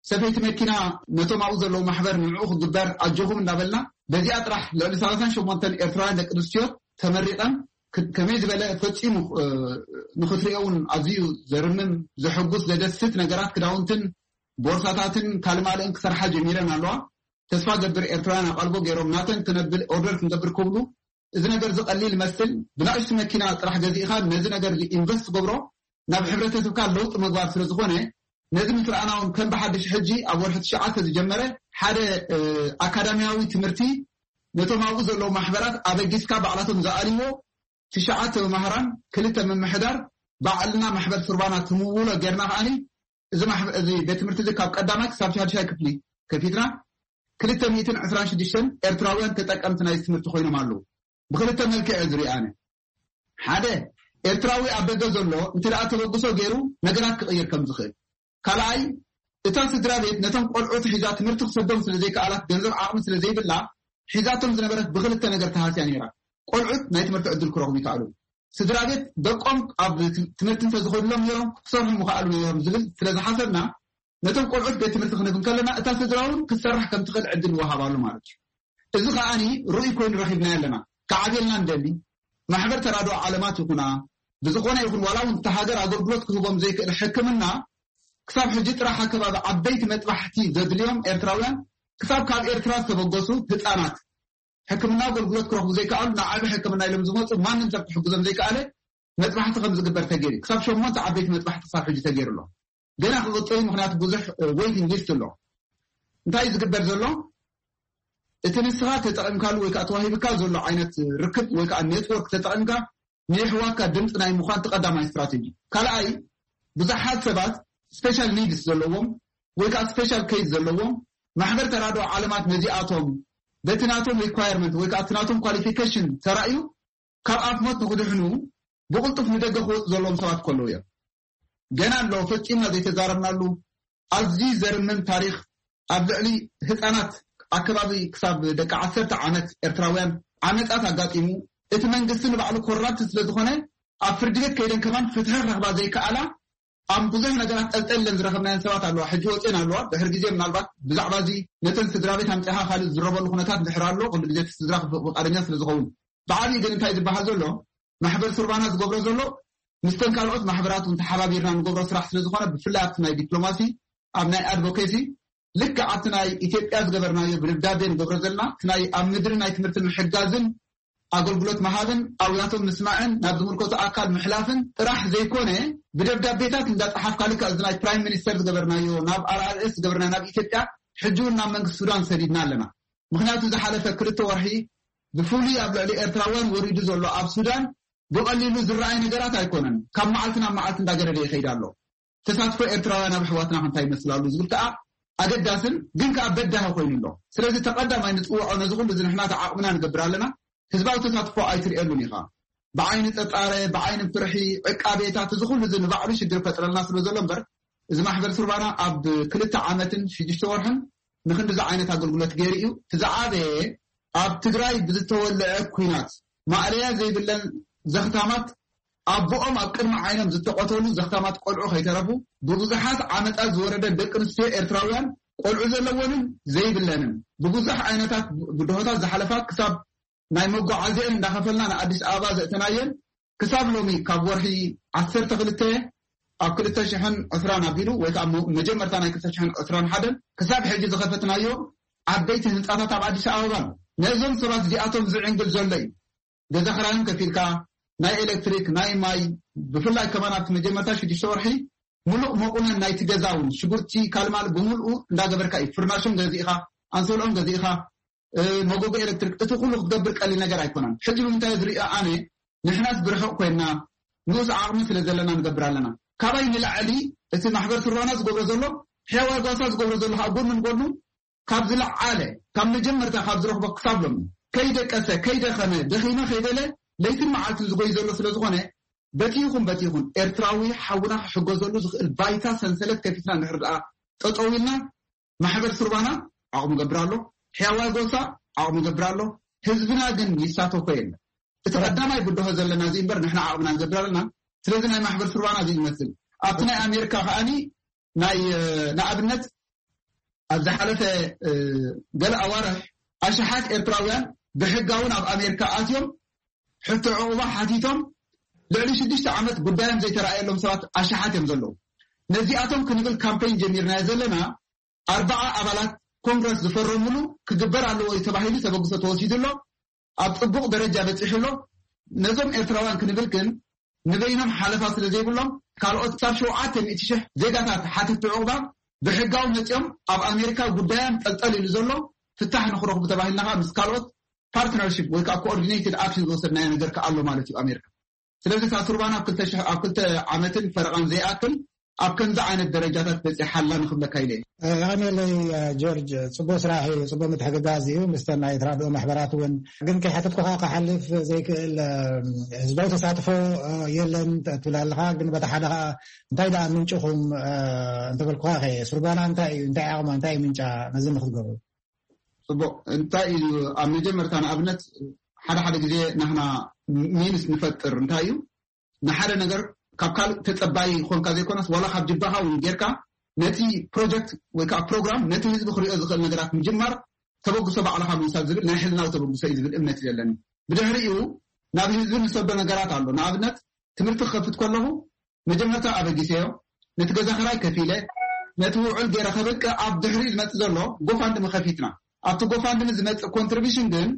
ሰፈይቲ መኪና ነቶም ኣብኡ ዘለዉ ማሕበር ንዕኡ ክግበር ኣጆኹም እንዳበልና፣ በዚኣ ጥራሕ ልዕሊ ሰላሳን ሸሞንተን ኤርትራውያን ደቂ ኣንስትዮ ተመሪቐን፣ ክ-፣ ከመይ ዝበለ ፈጺሙ፣ እ፣ ንኽትሪኦ እውን ኣዝዩ ዘርምም፣ ዘሐጉስ፣ ዘደስት ነገራት፣ ክዳውንትን ቦርሳታትን ካልእ ማልእን ክሰርሓ ጀሚረን ኣለዋ። ተስፋ ገብር ኤርትራውያን ኣቓልቦ ገይሮም ናተን ክነብል ኦርደር ክንገብር ክብሉ፣ እዚ ነገር እዚ ቀሊል ይመስል፣ ብናእሽቱ መኪና ጥራሕ ገዚእኻ ነዚ ነገር እዚ ኢንቨስት ትገብሮ፣ ናብ ሕብረተሰብካ ለውጢ ምግባር ስለ ዝኾነ፣ ነዚ ምስ ረኣና እውን ከም ብሓድሽ ሕጂ ኣብ ወርሒ ትሽዓተ ዝጀመረ ሓደ፣ እ፣ ኣካዳሚያዊ ትምህርቲ ነቶም ኣብኡ ዘለዉ ማሕበራት ኣበጊስካ ባዕላቶም ዝኣልይዎ ትሽዓተ መማህራን፣ ክልተ ምምሕዳር፣ ባዕልና ማሕበር ሱርባና ትምውሎ ጌርና ከኣኒ፣ እዚ ማሕበ-፣ እዚ ቤት ትምህርቲ እዚ ካብ ቀዳማይ ክሳብ ሻድሻይ ክፍሊ ከፊትና፣ ክልተ ሚእትን ዕስራን ሽዱሽተን ኤርትራውያን ተጠቀምቲ ናይዚ ትምህርቲ ኮይኖም ኣለዉ። ብክልተ መልክዕ እየ ዝሪኦ ኣነ። ሓደ፣ ኤርትራዊ ኣብ ደገ ዘሎ እንተ ደኣ ተበግሶ ገይሩ ነገራት ክቕይር ከም ዝኽእል። ካልኣይ፣ እታ ስድራ ቤት ነቶም ቆልዑት ሒዛ ትምህርቲ ክሰዶም ስለ ዘይከኣላት፣ ገንዘብ ዓቕሚ ስለ ዘይብላ፣ ሒዛቶም ዝነበረት ብክልተ ነገር ተሃስያ ነይራ። ቆልዑት ናይ ትምህርቲ ዕድል ክረኽቡ ይከኣሉ። ስድራ ቤት ደቆም ኣብ ት-፣ ትምህርቲ እንተ ዝኸድሎም ነይሮም፣ ክሰርሑ ምኸኣሉ ነይሮም ዝብል ስለ ዝሓሰብና፣ ነቶም ቆልዑት ቤት ትምህርቲ ክንህብ እንከለና፣ እታ ስድራ እውን ክትሰርሕ ከም ትኽእል ዕድል ይወሃባ ኣሎ ማለት እዩ። እዚ ከኣኒ ርኡይ ኮይኑ ረኺብናዮ ኣለና። ክዓብየልና ንደሊ፣ ማሕበር ተራድኦ ዓለማት ይኹና፣ ብዝኾነ ይኹን ዋላ እውን እታ ሃገር ኣገልግሎት ክህቦም ዘይክእል ሕክምና፣ ክሳብ ሕጂ ጥራሕ ኣብ ከባቢ ዓበይቲ መጥባሕቲ ዘድልዮም ኤርትራውያን፣ ክሳብ ካብ ኤርትራ ዝተበገሱ ህጻናት ሕክምና ኣገልግሎት ክረኽቡ ዘይከኣሉ፣ ንዓቢ ሕክምና ኢሎም ዝመጹ ማንም ሰብ ክሕግዞም ዘይከኣለ መጥባሕቲ ከም ዝግበር ተገይሩ። ክሳብ ሸሞንተ ዓበይቲ መጥባሕቲ ክሳብ ሕጂ ተገይሩ ኣሎ። ገና ክቕጽል እዩ፣ ምኽንያቱ ብዙሕ፣ እ፣ ዌይቲንግ ሊስት ኣሎ። እንታይ እዩ ዝግበር ዘሎ? እቲ ንስኻ ተጠቒምካሉ ወይ ከዓ ተዋሂብካ ዘሎ ዓይነት ርክብ ወይ ከዓ ኔትወርክ ተጠቒምካ ንየሕዋትካ ድምፂ ናይ ምዃን እቲ ቀዳማይ ስትራቴጂ። ካልኣይ፣ ብዙሓት ሰባት ስፔሻል ኒድስ ዘለዎም ወይ ከዓ ስፔሻል ኬዝ ዘለዎም፣ ማሕበር ተራድኦ ዓለማት ነዚኣቶም በቲ ናቶም ሪኳየርመንት ወይ ከዓ እቲ ናቶም ኳሊፊኬሽን ተራእዩ ካብ ኣፍ ሞት ንክድሕኑ ብቕልጡፍ ንደገ ክወፁ ዘለዎም ሰባት ከለዉ እዮም። ገና ኣሎ ፈፂምና ዘይተዛረብናሉ ኣዝዩ ዘርምም ታሪኽ፣ ኣብ ልዕሊ ህፃናት ኣከባቢ ክሳብ ደቂ ዓሰርተ ዓመት ኤርትራውያን ዓመፃት ኣጋጢሙ፣ እቲ መንግስቲ ንባዕሉ ኮራፕት ስለ ዝኾነ ኣብ ፍርዲ ቤት ከይደን ከማን ፍትሒ ክረኽባ ዘይከኣላ ኣብ ብዙሕ ነገራት ጠልጠለን ዝረኸብናየን ሰባት ኣለዋ። ሕጂ ወፅን ኣለዋ። ድሕር ግዜ ምናልባት ብዛዕባ እዚ ነተን ስድራ ቤት ኣምፅኻ ካልእ ዝረበሉ ኩነታት ድሕር ኣሎ። ኩሉ ግዜ እቲ ስድራ ፍቃደኛ ስለ ዝኸውን፣ ብዓብዪ ግን እንታይ ዝበሃል ዘሎ፣ ማሕበር ሱርባና ዝገብሮ ዘሎ ምስተን ካልኦት ማሕበራት እውን ተሓባቢርና ንገብሮ ስራሕ ስለ ዝኾነ፣ ብፍላይ ኣብቲ ናይ ዲፕሎማሲ፣ ኣብ ናይ ኣድቮኬሲ፣ ልክዕ ኣብቲ ናይ ኢትዮጵያ ዝገበርናዮ ብደብዳቤ ንገብሮ ዘለና፣ እቲ ናይ ኣብ ምድሪ ናይ ትምህርቲ ምሕጋዝን ኣገልግሎት ምሃብን ኣብያቶም ምስማዕን ናብ ዝምልከቱ ኣካል ምሕላፍን ጥራሕ ዘይኮነ፣ ብደብዳቤታት እንዳፀሓፍካ፣ ልክዕ እዚ ናይ ፕራይም ሚኒስተር ዝገበርናዮ፣ ናብ ኣር ኣር ኤስ ዝገበርናዮ፣ ናብ ኢትዮጵያ፣ ሕጂ እውን ናብ መንግስቲ ሱዳን ሰዲድና ኣለና። ምክንያቱ ዝሓለፈ ክልተ ወርሒ ብፍሉይ ኣብ ልዕሊ ኤርትራውያን ወሪዱ ዘሎ ኣብ ሱዳን ብቐሊሉ ዝረኣይ ነገራት ኣይኮነን። ካብ መዓልቲ ናብ መዓልቲ እንዳገደደ ይኸይድ ኣሎ። ተሳትፎ ኤርትራውያን ኣብ ኣሕዋትና ክንታይ ይመስል ኣሎ ዝብል ከኣ ኣገዳስን ግን ከኣ በዳሂ ኮይኑ ኣሎ። ስለዚ ተቐዳማይ ንጽውዖ፣ ነዚ ኩሉ እዚ ንሕና ተዓቕምና ንገብር ኣለና። ህዝባዊ ተሳትፎ ኣይትርእየሉን ኢኻ። ብዓይኒ ጸጻረ፣ ብዓይኒ ፍርሒ፣ ዕቃቤታት፣ እዚ ኩሉ እዚ ንባዕሉ ሽግር ፈጥረልና ስለ ዘሎ እምበር፣ እዚ ማሕበር ሱርባና ኣብ ክልተ ዓመትን ሽዱሽተ ወርሕን ንክንድዚ ዓይነት ኣገልግሎት ገይሩ እዩ። እቲ ዝዓበየ ኣብ ትግራይ ብዝተወልዐ ኲናት ማእለያ ዘይብለን ዘኽታማት፣ ኣቦኦም ኣብ ቅድሚ ዓይኖም ዝተቐተሉ ዘኽታማት ቆልዑ ከይተረፉ፣ ብብዙሓት ዓመጻት ዝወረደ ደቂ ኣንስትዮ ኤርትራውያን፣ ቆልዑ ዘለወንን ዘይብለንን፣ ብብዙሕ ዓይነታት ብድሆታት ዝሓለፋ፣ ክሳብ ናይ መጓዓዝየን እንዳኸፈልና ንኣዲስ ኣበባ ዘእተናየን፣ ክሳብ ሎሚ ካብ ወርሒ ዓሰርተ ክልተ ኣብ ክልተ ሽሕን ዕስራን ኣቢሉ፣ ወይ ከዓ መ-፣ መጀመርታ ናይ ክልተ ሽሕን ዕስራን ሓደን ክሳብ ሕጂ ዝኸፈትናዮ ዓበይቲ ህንፃታት ኣብ ኣዲስ ኣበባ ኣሎ። ነዞም ሰባት እዚኣቶም ዝዕንግል ዘሎ እዩ። ገዛ ክራዮም ከፊልካ፣ ናይ ኤሌክትሪክ፣ ናይ ማይ፣ ብፍላይ ከማን ኣብቲ መጀመርታ ሽዱሽተ ወርሒ ምሉእ መቑነን ናይቲ ገዛ እውን፣ ሽጉርቲ፣ ካልማል ብምልኡ እንዳገበርካ እዩ። ፍርናሾም ገዚእኻ፣ ኣንሶልኦም ገዚእኻ፣ እ፣ መጎጎ ኤሌክትሪክ፣ እቲ ኩሉ ክትገብር ቀሊል ነገር ኣይኮነን። ሕጂ ብምንታይ ዝሪኦ ኣነ፣ ንሕናስ ብርሑቕ ኮይንና፣ ንኡስ ዓቕሚ ስለ ዘለና ንገብር ኣለና። ካባይ ንላዕሊ እቲ ማሕበር ሱርባና ዝገብሮ ዘሎ፣ ሕያዋይ ጓሳ ዝገብሮ ዘሎ፣ ኣብ ጎድኑ ንጎድኑ ካብ ዝለዓለ፣ ካብ መጀመርታ ካብ ዝረኽቦ ክሳብ ሎሚ፣ ከይደቀሰ፣ ከይደኸመ፣ ደኺመ ከይበለ፣ ለይትን መዓልትን ዝጎይ ዘሎ ስለ ዝኾነ፣ በቲ ይኹን በቲ ይኹን ኤርትራዊ ሓውና ክሕገዘሉ ዝኽእል ባይታ ሰንሰለት ከፊትና እንድሕር ደኣ ጠጠው ኢልና፣ ማሕበር ሱርባና ዓቕሙ ገብር ኣሎ፣ ሕያዋይ ጎሳ ዓቕሙ ገብር ኣሎ። ህዝብና ግን ይሳተፎ የለን። እቲ ቀዳማይ ብድሆ ዘለና እዚ እምበር ንሕና ዓቕምና ንገብር ኣለና። ስለዚ ናይ ማሕበር ሱርባና እዚ ይመስል። ኣብቲ ናይ ኣሜሪካ ከኣኒ ናይ፣ እ፣ ንኣብነት ኣብ ዝሓለፈ፣ እ፣ ገለ ኣዋርሕ ኣሽሓት ኤርትራውያን ብሕጋውን ኣብ ኣሜሪካ ኣትዮም ሕቶ ዕቑባ ሓቲቶም ልዕሊ ሽዱሽተ ዓመት ጉዳዮም ዘይተረኣየሎም ሰባት ኣሽሓት እዮም ዘለዉ። ነዚኣቶም ክንብል ካምፔይን ጀሚርናዮ ዘለና ኣርባዓ ኣባላት ኮንግረስ ዝፈረሙሉ ክግበር ኣለዎ እዩ ተባሂሉ ተበግሶ ተወሲዱ ኣሎ። ኣብ ጽቡቕ ደረጃ በጺሑ ኣሎ። ነዞም ኤርትራውያን ክንብል ግን ንበይኖም ሓለፋ ስለ ዘይብሎም ካልኦት ክሳብ ሸውዓተ ሚእቲ ሽሕ ዜጋታት ሓተቲ ዕቑባ ብሕጋዊ መጺኦም ኣብ ኣሜሪካ ጉዳዮም ጠልጠል ኢሉ ዘሎ ፍታሕ ንክረኽቡ ተባሂልና ከኣ ምስ ካልኦት ፓርትነርሺፕ ወይ ከዓ ኮኦርዲኔትድ ኣክሽን ዝወሰድናዮ ነገር ከኣ ኣሎ ማለት እዩ ኣሜሪካ። ስለዚ እታ ሱርባና ኣብ ክልተ ሽሕ፣ ኣብ ክልተ ዓመትን ፈረቓን ዘይኣክል ኣብ ከምዚ ዓይነት ደረጃታት በጺሓ ኣላ ንኽብለካ ኢለ እየ። የቐንየለይ ጆርጅ፣ ጽቡቕ ስራሕ እዩ፣ ጽቡቕ ምትሕግጋዝ እዩ። ምስተን ናይ ተራድኦ ማሕበራት እውን ግን ከይሓተትኩኻ ክሓልፍ ዘይክእል፣ እ፣ ህዝባዊ ተሳትፎ፣ እ፣ የለን ት-፣ ትብል ኣለኻ። ግን በታ ሓደ ኸኣ እንታይ ደኣ ምንጭኹም፣ እ፣ እንተበልኩኻ ኸ ሱርባና እንታይ እዩ፣ እንታይ ዓቕማ፣ እንታይ እዩ ምንጫ ነዚ ንክትገብሩ? ጽቡቕ። እንታይ እዩ ኣብ መጀመርታ ንኣብነት ሓደ ሓደ ግዜ ናህና ሚንስ ንፈጥር እንታይ እዩ ንሓደ ነገር ካብ ካልእ ተጸባይ ኮንካ ዘይኮነስ ዋላ ካብ ጅባኻ እውን ጌርካ ነቲ ፕሮጀክት ወይ ከዓ ፕሮግራም ነቲ ህዝቢ ክሪኦ ዝኽእል ነገራት ምጅማር ተበግሶ ባዕልኻ ምውሳድ ዝብል ናይ ሕልናዊ ተበግሶ እዩ ዝብል እምነት እዩ ዘለኒ። ብድሕሪኡ ናብ ህዝቢ ንሰዶ ነገራት ኣሎ። ንኣብነት ትምህርቲ ክኸፍት ከለኹ መጀመርታ ኣበጊሰዮ፣ ነቲ ገዛ ክራይ ከፊለ፣ ነቲ ውዕል ገይረ ከበቅዕ ኣብ ድሕሪኡ ዝመጽእ ዘሎ ጎፋንድሚ ከፊትና። ኣብቲ ጎፋንድሚ ዝመጽእ ኮንትሪቢሽን ግን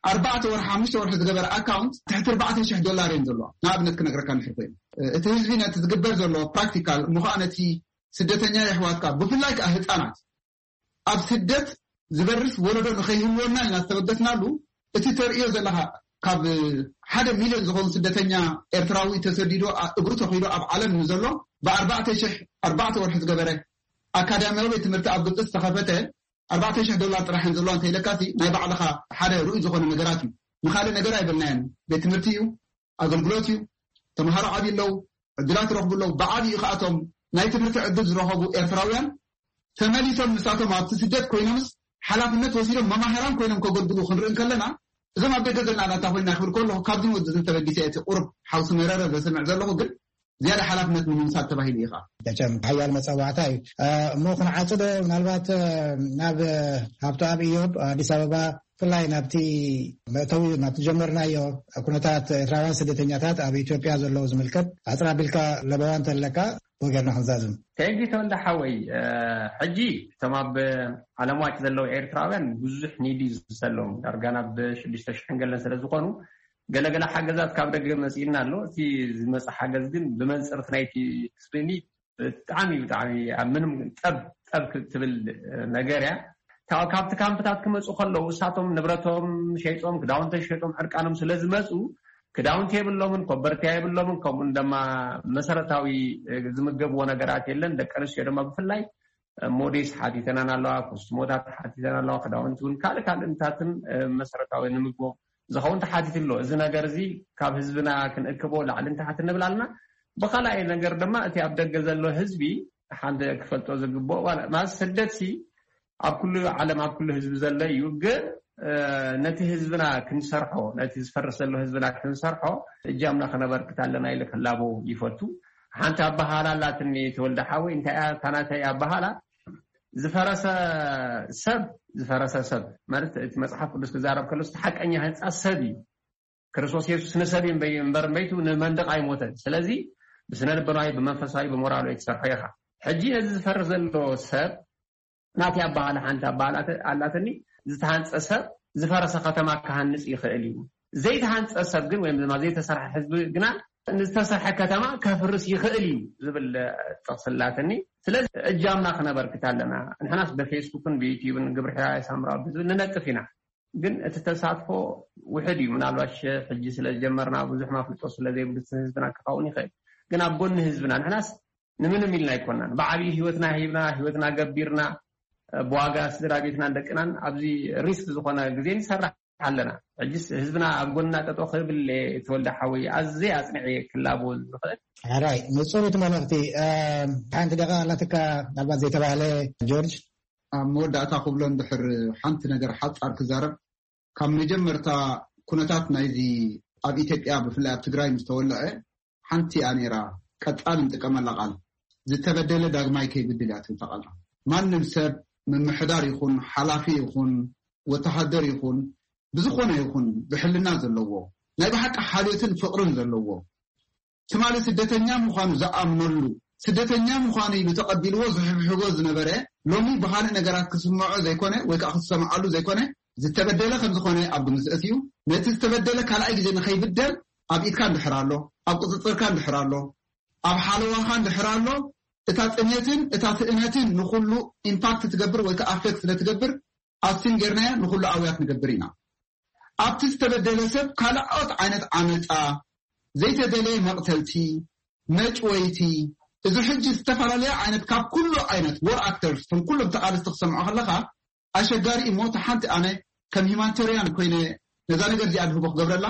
ኣርባዕተ ወርሒ ሓሙሽተ ወርሒ ዝገበረ ኣካውንት ትሕቲ ኣርባዕተ ሽሕ ዶላር እዮም ዘለዋ። ንኣብነት ክነግረካ እንድሕር ኮይኑ እቲ ህዝቢ ነቲ ዝግበር ዘሎ ፕራክቲካል እሞ ከዓ ነቲ ስደተኛ የሕዋትካ ብፍላይ ከዓ ህፃናት ኣብ ስደት ዝበርስ ወለዶ ንኸይህልወና ኢና ዝተበገስናሉ። እቲ ተርእዮ ዘለኻ ካብ ሓደ ሚልዮን ዝኾኑ ስደተኛ ኤርትራዊ ተሰዲዱ ኣ- እግሩ ተኺሉ ኣብ ዓለም ንዘሎ ብኣርባዕተ ሽሕ ኣርባዕተ ወርሒ ዝገበረ ኣካዳሚያዊ ቤት ትምህርቲ ኣብ ግብፂ ዝተኸፈተ ኣርባዕተ ሽሕ ዶላር ጥራሕ እዮም ዘለዋ እንተኢለካሲ ናይ ባዕልኻ ሓደ ርኡይ ዝኾነ ነገራት እዩ። ንኻልእ ነገር ኣይበልናዮን። ቤት ትምህርቲ እዩ፣ ኣገልግሎት እዩ። ተምሃሮ ዓብዩ ኣለዉ፣ ዕድላት ይረኽቡ ኣለዉ። ብዓብዩ ከኣቶም ናይ ትምህርቲ ዕድል ዝረኸቡ ኤርትራውያን ተመሊሶም ንሳቶም ኣብቲ ስደት ኮይኖምስ ሓላፍነት ወሲዶም መማህራን ኮይኖም ከገልግሉ ክንርኢ እንከለና እዞም ኣብ ደገ ዘለና ናታ ኮይና ክብል ከለኹ ካብዚ ወዲ ተበጊሰ እቲ ቁሩብ ሓውሲ መረረ ዘስምዕ ዘለኹ ግን ዝያዳ ሓላፍነት ንምምሳል ተባሂሉ ኢኻ። መቸም ሓያል መጸዋዕታ እዩ። እ፣ እሞ ክንዓጽዶ ምናልባት፣ እ፣ ናብ፣ እ፣ ሃብተኣብ ኢዮብ ኣዲስ ኣበባ፣ ብፍላይ ናብቲ መእተዊ ናብቲ ጀመርናዮ ኩነታት ኤርትራውያን ስደተኛታት ኣብ ኢትዮጵያ ዘለዉ ዝምልከት ኣጽር ኣቢልካ ለበዋ እንተለካ ብኡ ጌርና ክንዛዝም። ቴንኪ ተወልደ ሓወይ፣ እ፣ ሕጂ እቶም ኣብ ዓለም ዋጭ ዘለዉ ኤርትራውያን ብዙሕ ኒድ እዩ ዘለዎም። ዳርጋ ናብ ሽዱሽተ ሽሕን ገለን ስለ ዝኾኑ ገለገለ ሓገዛት ካብ ደገ መጺእና ኣሎ። እቲ ዝመጽእ ሓገዝ ግን ብመንጽር እቲ ናይቲ ስክሪን ብጣዕሚ፣ ብጣዕሚ ኣብ ምንም ጠብ፣ ጠብ ክትብል ነገር እያ። ካብ፣ ካብቲ ካምፕታት ክመጹ ከለዉ እሳቶም ንብረቶም ሸይጦም፣ ክዳውንቶም ሸይጦም ዕርቃኖም ስለ ዝመጹ ክዳውንቲ የብሎምን፣ ኮበርትያ የብሎምን፣ ከምኡን ድማ መሰረታዊ ዝምገብዎ ነገራት የለን። ደቂ ኣንስትዮ ድማ ብፍላይ ሞዴስ ሓቲተናን ኣለዋ፣ ኮስትሞታት ሓቲተን ኣለዋ፣ ክዳውንቲ እውን ካልእ ካልእ እንታትን መሰረታዊ ንምግቦም ዝኸውን ተሓቲቱ ኣሎ። እዚ ነገር እዚ ካብ ህዝብና ክንእክቦ ላዕልን ታሕትን ንብል ኣለና። ብኻልኣይ ነገር ድማ እቲ ኣብ ደገ ዘሎ ህዝቢ ሓደ ክፈልጦ ዝግብኦ፣ ዋላ ማለት ስደትሲ ኣብ ኩሉ ዓለም ኣብ ኩሉ ህዝቢ ዘሎ እዩ። ግን፣ እ፣ ነቲ ህዝብና ክንሰርሖ፣ ነቲ ዝፈርስ ዘሎ ህዝብና ክንሰርሖ እጃምና ከነበርክት ኣለና ኢለ ክላቦ ይፈቱ። ሓንቲ ኣበሃህላ ኣላትኒ ተወልደ ሓወይ፣ እንታይ እያ እታ ናተይ ኣበሃህላ? ዝፈረሰ ሰብ፣ ዝፈረሰ ሰብ ማለት እቲ መጽሓፍ ቅዱስ ክዛረብ ከሎ እቲ ሓቀኛ ህንጻ ሰብ እዩ። ክርስቶስ የሱስ ንሰብ እዩ እምበይ-፣ እምበር እምበይቱ ንመንደቕ ኣይሞተን። ስለዚ ብስነ ልቦናዊ፣ ብመንፈሳዊ፣ ብሞራላዊ ትሰርሖ ኢኻ። ሕጂ ነዚ ዝፈርስ ዘሎ ሰብ ናተይ ኣበሃህላ ሓንቲ ኣበሃህላ ኣተ-፣ ኣላትኒ፣ ዝተሃንጸ ሰብ ዝፈረሰ ከተማ ክሃንጽ ይኽእል እዩ። ዘይተሃንጸ ሰብ ግን ወይም ድማ ዘይተሰርሐ ህዝቢ ግና ንዝተሰርሐ ከተማ ከፍርስ ይኽእል እዩ ዝብል ጥቕሲ ኣላትኒ። ስለዚ እጃምና ክነበርክት ኣለና። ንሕናስ ብፌስቡክን ብዩትዩብን ግብሪ ሕራይ ሳምራዊ ብዝብል ንነጥፍ ኢና። ግን እቲ ተሳትፎ ውሕድ እዩ። ምናልባሽ ሕጂ ስለ ዝጀመርና ብዙሕ ማፍልጦ ስለ ዘይብሉ ህዝብና ክኸውን ይኽእል። ግን ኣብ ጎኒ ህዝብና ንሕናስ ንምንም ኢልና ኣይኮናን። ብዓብዪ ህይወትና ሂብና፣ ህይወትና ገቢርና፣ ብዋጋ ስድራ ቤትናን ደቅናን ኣብዚ ሪስክ ዝኾነ ግዜ ንሰርሕ ኣለና። ሕጅስ ህዝብና ኣብ ጎንና ጠጠው ክብል እየ፣ ተወልደ ሓወይ፣ ኣዝየ ኣጽኒዐ እየ ክላቦ ዝኽእል። ሕራይ፣ ንጹር እቲ መልእኽቲ። እም፣ ሓንቲ ደቂቕ ኣላትካ፣ ምናልባት ዘይተባህለ፣ ጆርጅ? ኣብ መወዳእታ ክብሎ እንድሕር ሓንቲ ነገር ሓጻር ክዛረብ፣ ካብ መጀመርታ ኩነታት ናይዚ ኣብ ኢትዮጵያ ብፍላይ ኣብ ትግራይ ምስ ተወልዐ ሓንቲ እያ ነይራ፣ ቀጻሊ ንጥቀመላ ቃል፣ ዝተበደለ ዳግማይ ከይብድል እያ ትብል እታ ቃል። ማንም ሰብ ምምሕዳር ይኹን ሓላፊ ይኹን ወተሃደር ይኹን ብዝኾነ ይኹን ብሕልና ዘለዎ ናይ ብሓቂ ሓልዮትን ፍቕርን ዘለዎ ትማሊ ስደተኛ ምዃኑ ዝኣምነሉ፣ ስደተኛ ምዃኑ ኢሉ ተቐቢልዎ ዝሕብሕቦ ዝነበረ፣ ሎሚ ብኻልእ ነገራት ክስምዖ ዘይኮነ ወይ ከዓ ክሰምዓሉ ዘይኮነ ዝተበደለ ከም ዝኾነ ኣብ ግምት ዘእትዩ፣ ነቲ ዝተበደለ ካልኣይ ግዜ ንኸይብደል ኣብ ኢድካ እንድሕር ኣሎ፣ ኣብ ቁፅፅርካ እንድሕር ኣሎ፣ ኣብ ሓለዋኻ እንድሕር ኣሎ፣ እታ ጥሜትን እታ ትእነትን ንኹሉ ኢምፓክት ትገብር ወይ ከዓ ኣፌክት ስለ ትገብር ኣስቲም ጌርናዮ ንኹሉ ኣውያት ንገብር ኢና። ኣብቲ ዝተበደለ ሰብ ካልኦት ዓይነት ዓመፃ፣ ዘይተደለየ መቕተልቲ፣ መጭወይቲ፣ እዚ ሕጂ ዝተፈላለያ ዓይነት ካብ ኩሉ ዓይነት ዎር ኣክተርስ፣ እቶም ኩሎም ተቓለስቲ ክሰምዖ ከለኻ ኣሸጋሪ እዩ። እሞ እታ ሓንቲ ኣነ ከም ሂማኒቴርያን ኮይነ ነዛ ነገር እዚኣ ድህቦ ክገብረላ፣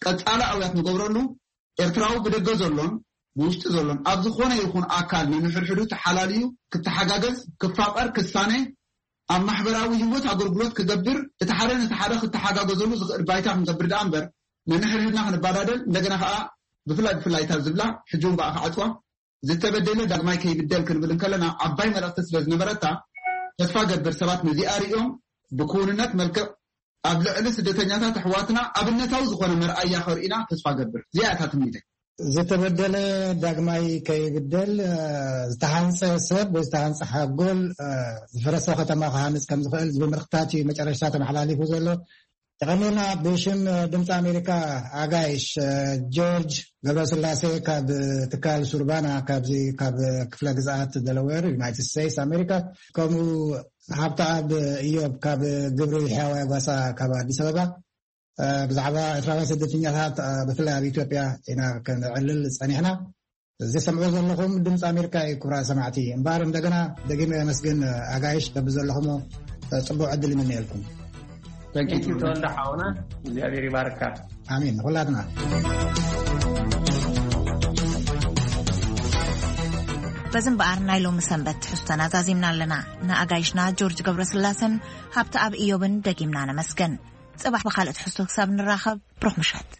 ቀጻሊ ኣውያት ንገብረሉ፣ ኤርትራዊ ብደገ ዘሎን ብውሽጢ ዘሎን ኣብ ዝኾነ ይኹን ኣካል ነንሕድሕዱ ተሓላልዩ ክተሓጋገዝ፣ ክፋቐር፣ ክሳነ፣ ኣብ ማሕበራዊ ህይወት ኣገልግሎት ክገብር፣ እቲ ሓደ ነቲ ሓደ ክተሓጋገዘሉ ዝኽእል ባይታ ክንገብር ደኣ እምበር፣ ነንሕድሕድና ክንባዳደል፣ እንደገና ከኣ ብፍላይ ብፍላይ እታ ዝብላ፣ ሕጂ እውን ብኣ ክዓጽዋ፣ ዝተበደለ ዳግማይ ከይብደል ክንብል እንከለና፣ ዓባይ መልእኽቲ ስለ ዝነበረታ፣ ተስፋ ገብር ሰባት ነዚኣ ሪኦም ብክውንነት መልክዕ ኣብ ልዕሊ ስደተኛታት ኣሕዋትና ኣብነታዊ ዝኾነ መርኣያ ከርእዩና ተስፋ ገብር። እዚኣ እያ እታ ትምኒተይ። ዝተበደለ ዳግማይ ከይብደል፣ እ፣ ዝተሃንጸ ሰብ ወይ ዝተሃንጸ ሓጎል፣ እ፣ ዝፈረሰ ከተማ ክሃንጽ ከም ዝኽእል ዝብል ምልክታት እዩ መጨረሽታ ተመሓላሊፉ ዘሎ። የቐንየልና። ብሽም ድምፂ ኣሜሪካ ኣጋይሽ ጆርጅ ገብረስላሴ ካብ ትካል ሱርባና ካብዚ ካብ ክፍለ ግዝኣት ደለዌር ዩናይትድ ስቴትስ ኣሜሪካ፣ ከምኡ ሃብተኣብ እዮብ ካብ ግብሪ ሕያዋይ ጓሳ ካብ ኣዲስ ኣበባ፣ እ፣ ብዛዕባ ኤርትራውያን ስደተኛታት፣ እ፣ ብፍላይ ኣብ ኢትዮጵያ ኢና ከነዕልል ጸኒሕና። እዚ ሰምዑ ዘለኹም ድምፂ ኣሜሪካ እዩ። ክቡራት ሰማዕቲ፣ እምበኣር እንደገና ደጊመ የመስግን ኣጋይሽ በብዘለኹሞ፣ እ፣ ጽቡቕ ዕድል ይምነየልኩም። Thank you, ተወልደ ሓውና፣ እግዚኣብሔር ይባርካ። ኣሜን። ንኹላትና። በዚ እምበኣር ናይ ሎሚ ሰንበት ትሕዝቶና ዛዚምና ኣለና። ንኣጋይሽና ጆርጅ ገብረስላሰን ሃብተኣብ እዮብን ደጊምና ነመስግን። ጽባሕ ብኻልእ ትሕዝቶ ክሳብ ንራኸብ፣ ብሩኽ ምሸት።